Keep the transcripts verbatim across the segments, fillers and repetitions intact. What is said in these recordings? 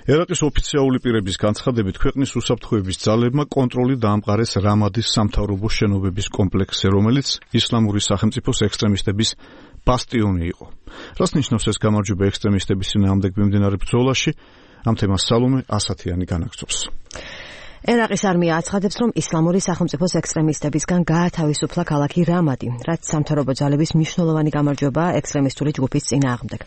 ერაყის ოფიციალური პირების განცხადებით, ქვეყნის უსაფრთხოების ძალებმა კონტროლი დაამყარეს რამადის სამთავრობო შენობების კომპლექსზე, რომელიც ისლამური სახელმწიფოს ექსტრემისტების ბასტიონი იყო. რას ნიშნავს ეს გამარჯვება ექსტრემისტების წინააღმდეგ მიმდინარე ბრძოლაში? ამ თემას სალომე ასათიანი განაგრძობს. ერაყის არმია აცხადებს, რომ ისლამური სახელმწიფოს ექსტრემისტებისგან გაათავისუფლა ქალაქი რამადი, რაც სამთავრობო ძალების მნიშვნელოვანი გამარჯვებაა ექსტრემისტული ჯგუფის წინააღმდეგ.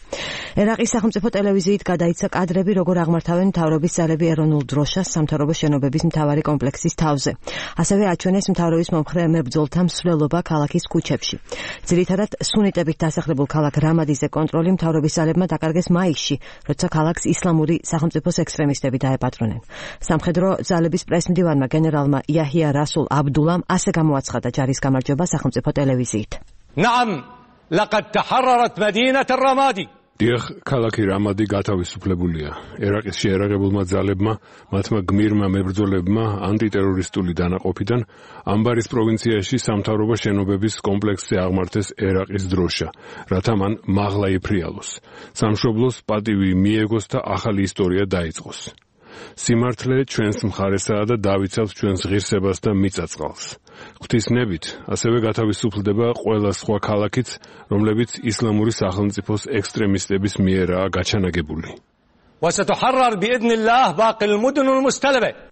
ერაყის სახელმწიფო ტელევიზიით გადაიცა კადრები, როგორ აღმართავენ მთავრობის ძალები ეროვნულ დროშას სამთავრობო შენობების მთავარი კომპლექსის თავზე. ასევე აჩვენეს მთავრობის მომხრე მებრძოლთა მსვლელობა ქალაქის ქუჩებში. ძირითადად სუნიტებით დასახლებულ ქალაქ რამადიზე კონტროლი მთავრობის ძალებმა დაკარგეს მაისში, როცა ქალაქს ისლამური სახელმწიფოს ექსტრემისტები დაეპატრონენ. სამხედრო ძალების პრესმდივანმა გენერალმა იაჰია რასულ აბდულამ ასე გამოაცხადა ჯარის გამარჯვება სახელმწიფო ტელევიზიით. نعم لقد تحررت مدينة الرمادي. დიახ, ქალაქი რამადი გათავისუფლებულია. ერაყის შეერაღებულმა ძალებმა, მათმა გმირმა მებრძოლებმა ანტიტერორისტული დანაყოფიდან ამბარის პროვინციაში სამთავრობო შენობების კომპლექსზე აღმართეს ერაყის დროშა, რათა მან მაღლა იფრიალოს. სამშობლოს პატივი მიეგოს და ახალი ისტორია დაიწყოს. სიმართლე ჩვენს მხარესაა და დავიცავთ ჩვენს ღირსებას და მიწაწყალს. ღვთისნებით ასევე გათავისუფლდება ყველა სხვა ქალაქიც, რომლებიც ისლამური სახელმწიფოს ექსტრემისტების მიერაა გაჩანაგებული. وستحرر بإذن الله باقي المدن المستلبة.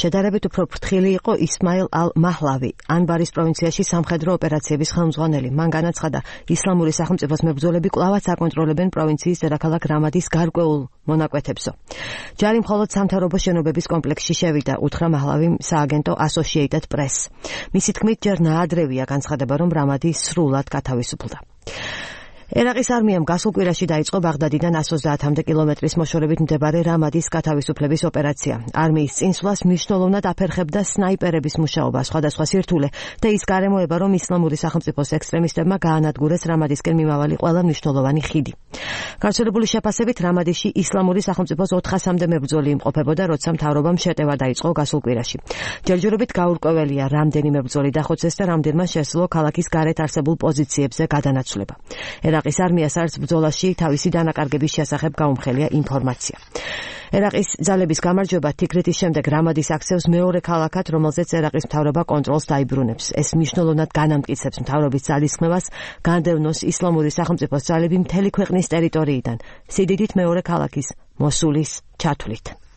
შედარებით უფრო ფრთხილი იყო ისმაილ ალ-მაჰლავი, ანბარის პროვინციაში სამხედრო ოპერაციების ხელმძღვანელი. მან განაცხადა, ისლამური სახელმწიფოს მებრძოლები კვლავაც აკონტროლებენ პროვინციის დედაქალაქ რამადის გარკვეულ მონაკვეთებსო. ჯარი მხოლოდ სამთავრობო შენობების კომპლექსში შევიდა, უთხრა მაჰლავიმ სააგენტო Associated Press. მისი თქმით, ჯერ ნაადრევია განცხადება, რომ რამადი სრულად გათავისუფლდა. ერაყის არმიამ გასულ კვირაში დაიწყო ბაღდადიდან ოცდაათამდე კილომეტრის მოშორებით მდებარე რამადის გათავისუფლების ოპერაცია. არმიის წინსვლას მნიშვნელოვნად აფერხებდა სნაიპერების მუშაობა, სხვადასხვა სირთულე და ის გარემოება, რომ ისლამური სახელმწიფოს ექსტრემისტებმა გაანადგურეს რამადისკენ მიმავალი ყველა მნიშვნელოვანი ხიდი. გავრცელებული შეფასებით, რამადიში ისლამური სახელმწიფოს ოთხასამდე მებრძოლი იმყოფებოდა, როცა მთავრობამ შეტევა დაიწყო გასულ კვირაში. ჯერჯერობით გაურკვეველია, რამდენი მებრძოლი დახოცეს და რამდენმა შესძლო ქალაქის გარეთ არსებულ პოზიციებზე გადანაცვლება. ერაყის არმიას არც ბრძოლაში თავისი დანაკარგების შესახებ გაუმხელია ინფორმაცია. ერაყის ძალების გამარჯვება თიქრეთის შემდეგ რამადის აქცევს მეორე ქალაქად, რომელზეც ერაყის მთავრობა კონტროლს დაიბრუნებს. ეს მნიშვნელოვნად განამტკიცებს მთავრობის ძალისხმევას განდევნოს ისლამური სახელმწიფოს ძალები მთელი ქვეყნის ტერიტორიიდან, სიდიდით მეორე ქალაქის მოსულის ჩათვლით.